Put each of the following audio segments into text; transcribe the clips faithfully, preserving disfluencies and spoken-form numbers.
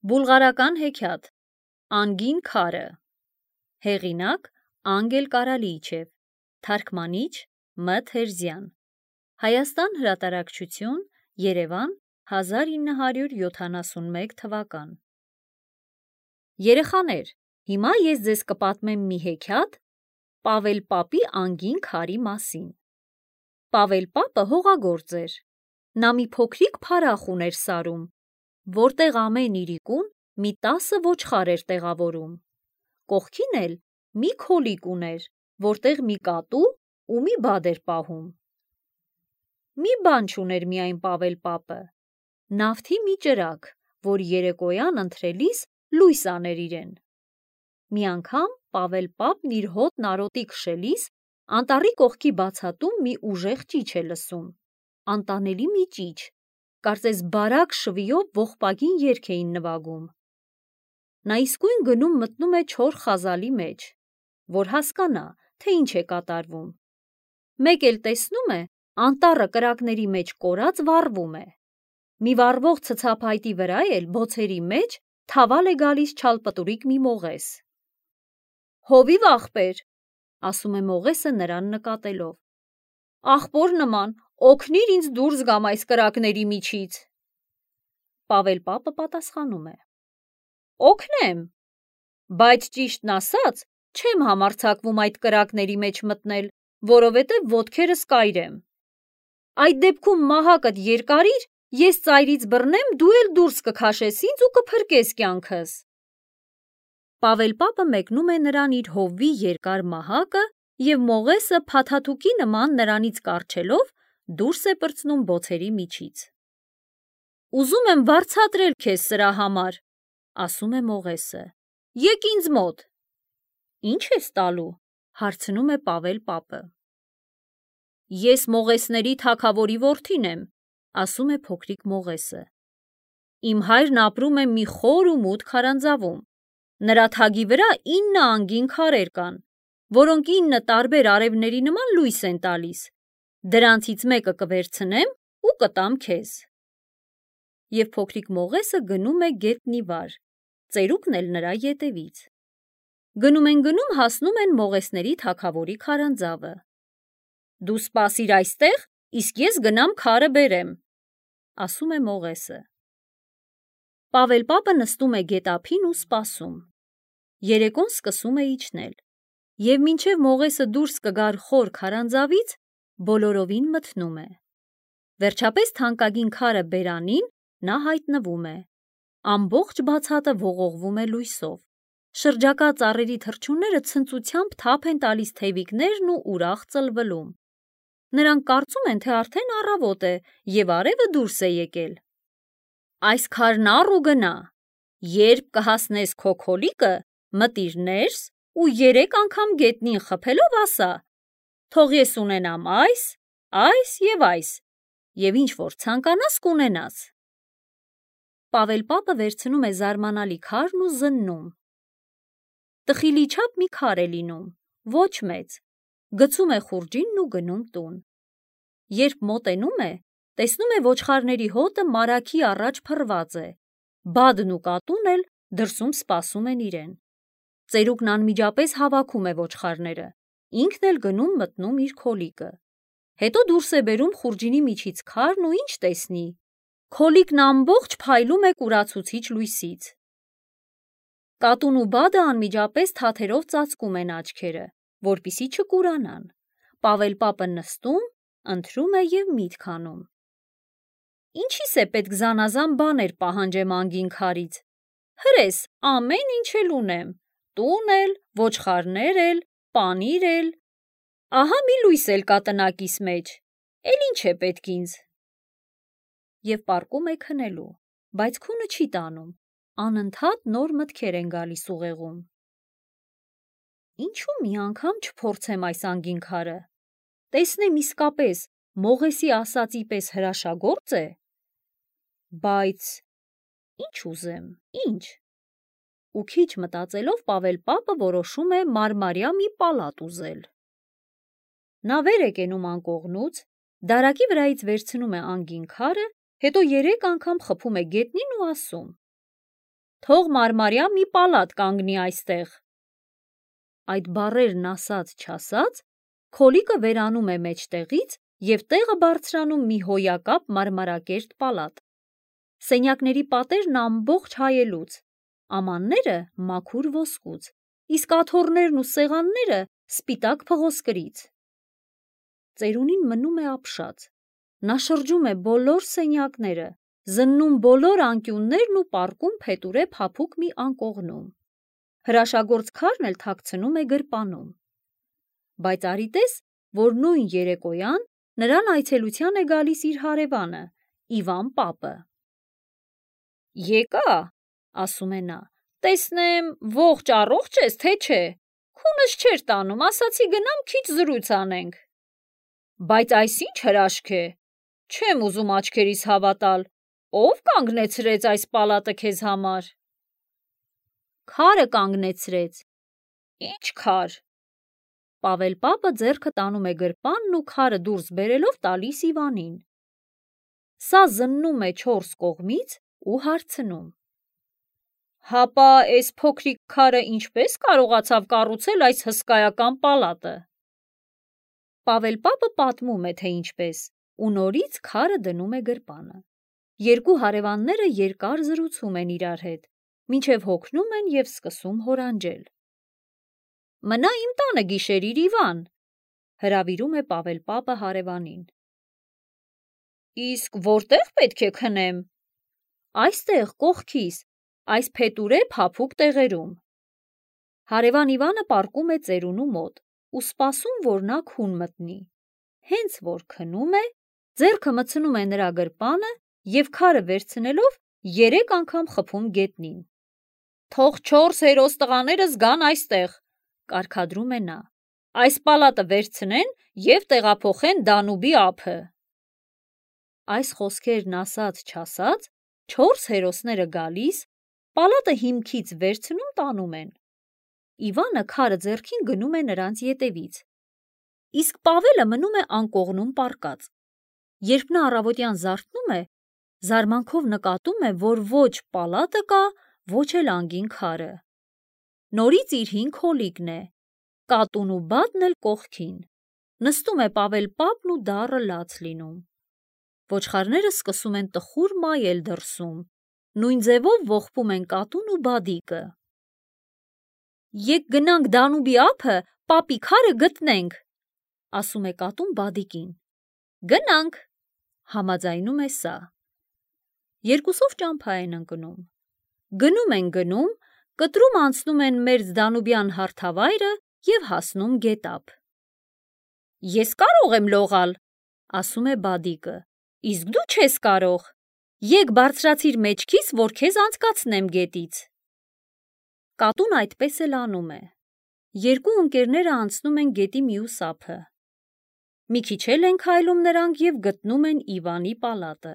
Բուլղարական հեքիաթ Անգին քարը Հեղինակ Անգել Կարալիչև Թարգմանիչ Մ. Թերզյան Հայաստան հրատարակչություն Երևան հազար ինը հարյուր յոթանասունմեկ թվական Երեխաներ, հիմա ես ձեզ կպատմեմ մի հեքիաթ Պավել պապի անգին քարի մասին։ Պավել պապը հողագործ էր։ Նա մի փոքրիկ փարախ ուներ սարում, որտեղ ամեն իրիկուն մի տասը ոչխար էր տեղավորում։ Կողքին էլ մի քոլիկ ուներ, որտեղ մի կատու ու մի բադ էր պահում։ Մի բան չուներ միայն Պավել պապը, նավթի մի ճրագ, որ երեկոյան ընթրելիս լույս աներ իրեն։ Մի անգամ Պավել պապն իր հոտն արոտի քշելիս անտառի կողքի բացատում մի ուժեղ ճիչ է լսում, անտանելի մի ճիչ, կարծես բարակ շվիով ողբագին երգ էին նվագում։ Նա իսկույն գնում մտնում է չոր խազալի մեջ, որ հասկանա, թե ինչ է կատարվում։ Մեկ էլ տեսնում է, անտառը կրակների մեջ կորած վառվում է։ Մի վառվող ցցափայտի վրա էլ բոցերի մեջ թավալ է գալիս չալպտուրիկ մի մողես։ Հովիվ ախպեր, ասում է մողեսը նրան նկատելով, ախպոր նման, օգնիր ինձ դուրս գամ այս կրակների միջից։ Պավել պապը պատասխանում է. Օգնեմ, բայց ճիշտն ասած, չեմ համարձակվում այդ կրակների մեջ մտնել, որովհետև ոտքերս կայր եմ։ Այդ դեպքում մահակդ երկարիր, ես ծայրից բռնեմ, դու էլ դուրս կքաշես ինձ ու կփրկես կյանքս։ Պավել պապը մեկնում է նրան իր հովվի երկար մահակը և մողեսը փաթաթուկի նման նրանից կառչելով դուրս է պրծնում բոցերի միջից։ Ուզում եմ վարձատրել քեզ սրա համար, ասում է մողեսը, եկ ինձ մոտ։ Ինչ ես տալու, հարցնում է Պավել պապը։ Ես մողեսների թագավորի որդին եմ, ասում է փոքրիկ մողեսը։ Իմ հայրն ապրում է մի խոր ու մութ քարանձավում։ Նրա թագի վրա ինը անգին քարեր կան, որոնք ինը տարբեր արևների նման լույս են տալիս։ Դրանցից մեկը կվերցնեմ ու կտամ քեզ։ Եվ փոքրիկ մողեսը գնում է գետնի վար, ծերուկն էլ նրա ետևից։ Գնում են գնում հասնում են մողեսների թագավորի քարանձավը։ Դու սպասիր այստեղ, իսկ ես գնամ քարը բերեմ, ասում է մողեսը։ Պավել պապը նստում է գետափին ու սպասում։ Երեկոն սկսում է իջնել, և մինչև մողեսը դուրս կգար խոր քարանձավից, բոլորովին մթնում է։ Վերջապես թանկագին քարը բերանին նա հայտնվում է։ Ամբողջ բացատը ողողվում է լույսով։ Շրջակա ծառերի թռչունները ցնծությամբ թափ են տալիս թևիկներն ու ուրախ ծլվլում։ Նրանք կարծում են, թե արդեն առավոտ է և արևը դուրս է եկել։ Այս քարն առ ու գնա, երբ կհասնես քո քոլիկը, մտիր ներս ու երեք անգամ գետնին խփելով ասա. թող ես ունենամ այս, այս և այս, և ինչ որ ցանկանաս կունենաս։ Պավել պապը վերցնում է զարմանալի քարն ու զննում։ Տխիլի չափ մի քար է լինում, ոչ մեծ, գցում է խուրջինն ու գնում տուն։ Երբ մոտենում է, տեսնում է ոչխարների հոտը մարագի առաջ փռված է, բադն ու կատուն էլ դրսում սպասում են իրեն։ Ծերուկն անմիջապես հավաքում է ոչխարները, ինքն էլ գնում մտնում իր քոլիկը։ Հետո դուրս է բերում խուրջինի միջից քարն ու ինչ տեսնի։ Քոլիկն ամբողջ փայլում է կուրացուցիչ լույսից։ Կատուն ու բադը անմիջապես թաթերով ծածկում են աչքերը, որպեսզի չկուրանան։ Պավել պապը նստում, ընթրում է և միտք անում։ Ինչի՞ս է պետք զանազան բաներ պահանջեմ անգին քարից։ Հրես, ամեն ինչ էլ ունեմ, տուն էլ, ոչխարներ էլ, պանիր էլ։ Ահա մի լույս էլ կա տնակիս մեջ, էլ ինչ է պետք ինձ։ Եվ պառկում է քնելու, բայց քունը չի տանում, անընդհատ նոր մտքեր են գալիս ուղեղում։ Ինչու մի անգամ չփորձեմ այս անգին քարը, տեսնեմ իսկապես մողեսի ասածի պես հրաշագործ է։ Բայց ինչ ուզեմ, ինչ։ Ու քիչ մտածելով Պավել պապը որոշում է մարմարյա մի պալատ ուզել։ Նա վեր է կենում անկողնուց, դարակի վրայից վերցնում է անգին քարը, հետո երեք անգամ խփում է գետնին ու ասում. թող մարմարյա մի պալատ կանգնի այստեղ։ Այդ բառերն ասած չասած, Քոլիկը վերանում է մեջտեղից և տեղը բարձրանում մի հոյակապ մարմարակերտ պալատ։ Սենյակների պատերն ամբողջ հայելուց, ամանները մաքուր ոսկուց, իսկ աթոռներն ու սեղանները սպիտակ փղոսկրից։ Ծերունին մնում է ապշած, նա շրջում է բոլոր սենյակները, զննում բոլոր անկյուններն ու պառկում փետուրե փափուկ մի անկողնում։ Հրաշագործ քարն էլ թաքցնում է գրպանում։ Բայց արի տես, որ նույն երեկոյան նրան այցելության է գալիս իր հարևանը, Իվան պապը։ Եկա, ասում է նա, տեսնեմ ողջ առողջ ես, թե չէ, քունս չէր տանում, ասացի գնամ քիչ զրույց անենք։ Բայց այս ինչ հրաշք է, չեմ ուզում աչքերիս հավատալ, ով կանգնեցրեց այս պալատը քեզ համար։ Քարը կանգնեցրեց։ Ինչ քար։ Պավել պապը ձեռքը տանում է գրպանն ու քարը դուրս բերելով տալիս Իվանին։ Սա զննում է չորս կողմից ու հարցնում. Հապա էս փոքրիկ քարը ինչպես կարողացավ կառուցել այս հսկայական պալատը։ Պավել պապը պատմում է, թե ինչպես, ու նորից քարը դնում է գրպանը։ Երկու հարևանները երկար զրուցում են իրար հետ, մինչև հոգնում են և սկսում հորանջել։ Մնա իմ տանը գիշերիր, Իվան, հրավիրում է Պավել պապը հարևանին։ Իսկ որտեղ պետք է քնեմ։ Այստեղ կողքիս, այս փետուրե փափուկ տեղերում։ Հարևան Իվանը պառկում է ծերունու մոտ ու սպասում, որ նա քուն մտնի։ Հենց որ քնում է, ձեռքը մտցնում է նրա գրպանը և քարը վերցնելով երեք անգամ խփում գետնին։ Թող չորս հերոս տղաներս գան այստեղ, կարգադրում է նա, այս պալատը վերցնեն և տեղափոխեն Դանուբի ափը։ Այս խոսքերն ասած չասած, չորս հերոսները գալիս, պալատը հիմքից վերցնում տանում են։ Իվանը քարը ձեռքին գնում է նրանց ետևից, իսկ Պավելը մնում է անկողնում պառկած։ Երբ նա առավոտյան զարթնում է, զարմանքով նկատում է, որ ոչ պալատը կա, ոչ էլ անգին քարը։ Նորից իր հին քոլիկն է, կատուն ու բադն էլ կողքին։ Նստում է Պավել պապն ու դառը լաց լինում։ Ոչխարները սկսում են տխուր մայել դրսում, նույն ձևով ողբում են կատուն ու բադիկը։ Եկ գնանք Դանուբի ափը, պապի քարը գտնենք, ասում է կատուն բադիկին։ Գնանք, համաձայնում է սա։ Երկուսով ճամփա են ընկնում։ Գնում են գնում, կտրում անցնում են մերձ Դանուբյան հարթավայրը և հասնում գետափ։ Ես կարող եմ լողալ, ասում է բադիկը, իսկ դու չես կարող։ Եկ բարձրացիր մեջքիս, որ քեզ անցկացնեմ գետից։ Կատուն այդպես էլ անում է։ Երկու ընկերները անցնում են գետի մյուս ափը։ Մի քիչ էլ են քայլում նրանք և գտնում են Իվանի պալատը։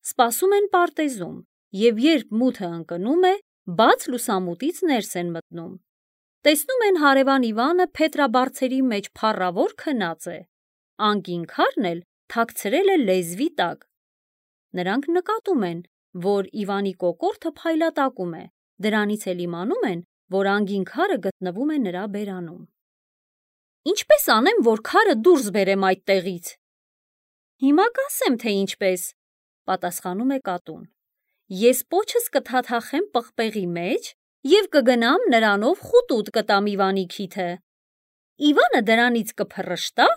Սպասում են պարտեզում, և երբ մութը ընկնում է, բաց լուսամուտից ներս են մտնում։ Տեսնում են հարևան Իվանը փետրաբարձերի մեջ փառավոր քնած է, անկին քարն էլ թաքցրել է լեզվի տակ։ Նրանք նկատում են, որ Իվանի կոկորդը փայլատակում է, դրանից էլ իմանում են, որ անգին քարը գտնվում է նրա բերանում։ Ինչպես անեմ, որ քարը դուրս բերեմ այդտեղից։ Հիմա կասեմ, թե ինչպես, պատասխանում է կատուն։ Ես պոչս կթաթախեմ պղպեղի մեջ և կգնամ նրանով խուտուտ կտամ Իվանի քիթը։ Իվանը դրանից կփռշտա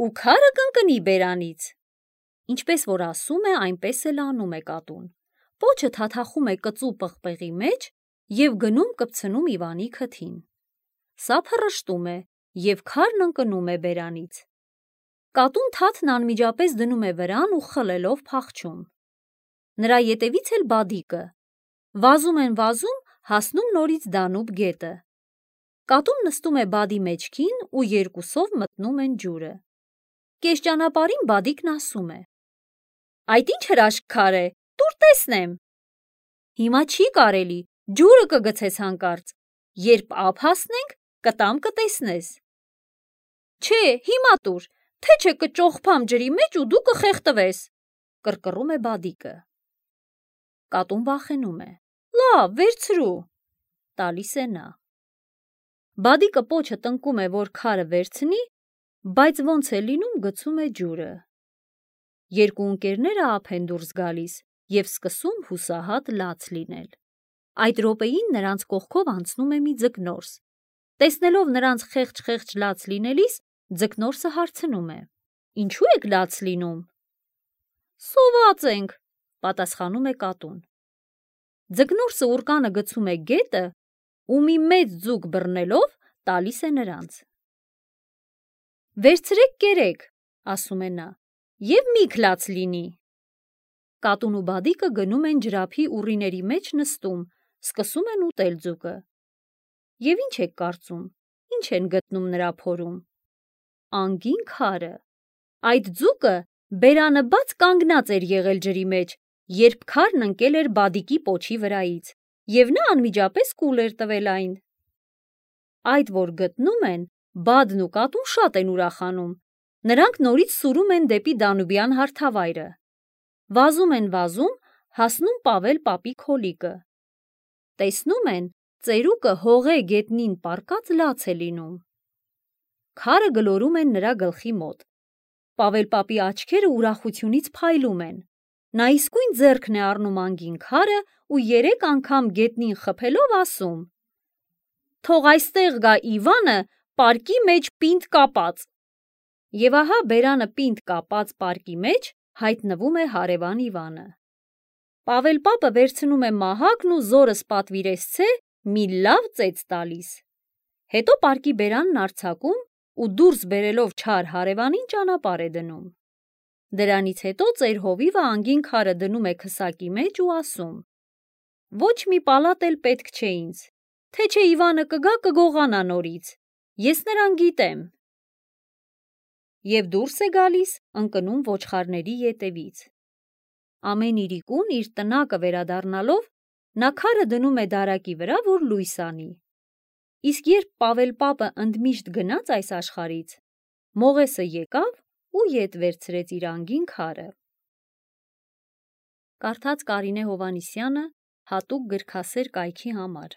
ու քարը կընկնի բերանից։ Ինչպես որ ասում է, այնպես էլ անում է կատուն։ Պոչը թաթախում է կծու պղպեղի մեջ և գնում կպցնում Իվանի քթին։ Սա փռշտում է և քարն ընկնում է բերանից։ Կատուն թաթն անմիջապես դնում է վրան ու խլելով փախչում։ Նրա ետևից էլ բադիկը։ Վազում են վազում, հասնում նորից Դանուբ գետը։ Կատուն նստում է բադի մեջքին ու երկուսով մտնում են ջուրը։ Կես ճանապարհին բադիկն ասում է. Այդ ինչ հրաշք քար է, տուր տեսնեմ։ Հիմա չի կարելի, ջուրը կգցես հանկարծ, երբ ափ հասնենք, կտամ կտեսնես։ Չէ, հիմա տուր, թե չէ կճոխփամ ջրի մեջ ու դու կխեղդվես, կռկռում է բադիկը։ Կատուն վախենում է, Լավ, վերցրու, տալիս է նա։ Բադիկը պոչը տնկում է, որ քարը վերցնի, բայց ոնց է լինում գցում է ջուրը։ Երկու ընկերները ափ են դուրս գալիս և սկսում հուսահատ լաց լինել։ Այդ րոպեին նրանց կողքով անցնում է մի ձկնորս։ Տեսնելով նրանց խեղճ-խեղճ լաց լինելիս, ձկնորսը հարցնում է. «Ինչու եք լաց լինում»։ «Սոված ենք», պատասխանում է կատուն։ Ձկնորսը ուռկանը գցում է գետը ու մի մեծ ձուկ բռնելով տալիս է նրանց։ «Վերցրեք կերեք», ասում է նա, «և միք լաց լինի»։ Կատուն ու բադիկը գնում են ջրափի ուռիների մեջ նստում, սկսում են ուտել ձուկը։ Եվ ինչ եք կարծում, ինչ են գտնում նրա փորում։ Անգին քարը։ Այդ ձուկը բերանը բաց կանգնած էր եղել ջրի մեջ, երբ քարն ընկել էր բադիկի պոչի վրայից, և նա անմիջապես կուլ էր տվել այն։ Այդ որ գտնում են, բադն ու կատուն շատ են ուրախանում։ Նրանք նորից սուրում են դեպի Դանուբյան հարթավայրը։ Վազում են վազում, հասնում Պավել պապի քոլիկը։ Տեսնում են, ծերուկը հողե գետնին պառկած լաց է լինում։ Քարը գլորում են նրա գլխի մոտ։ Պավել պապի աչքերը ուրախությունից փայլում են։ Նա իսկույն ձեռքն է առնում անգին քարը ու երեք անգամ գետնին խփելով ասում. «Թող այստեղ գա Իվանը պարկի մեջ պինդ կապած»։ Եվ ահա բերանը պինդ կապած պարկի մեջ հայտնվում է հարևան Իվանը։ Պավել պապը վերցնում է մահակն ու զորս պատվիրեցցե մի լավ ծեծ տալիս։ Հետո պարկի բերանն արձակում ու դուրս բերելով չար հարևանին ճանապարհ է դնում։ Դրանից հետո ծեր հովիվը անգին քարը դնում է քսակի մեջ ու ասում. «Ոչ մի պալատ էլ պետք չէ ինձ, թե չէ Իվանը կգա կգողանա նորից, ես նրան գիտեմ»։ Եվ դուրս է գալիս, ընկնում ոչխարների ետևից։ Ամեն իրիկուն իր տնակը վերադառնալով, նա քարը դնում է դարակի վրա, որ լույս անի։ Իսկ երբ Պավել պապը ընդմիշտ գնաց այս աշխարհից, մողեսը եկավ ու ետ վերցրեց իր անգին քարը։ Կարդաց Կարինե Հովհաննիսյանը հատուկ գրքասեր կայքի համար։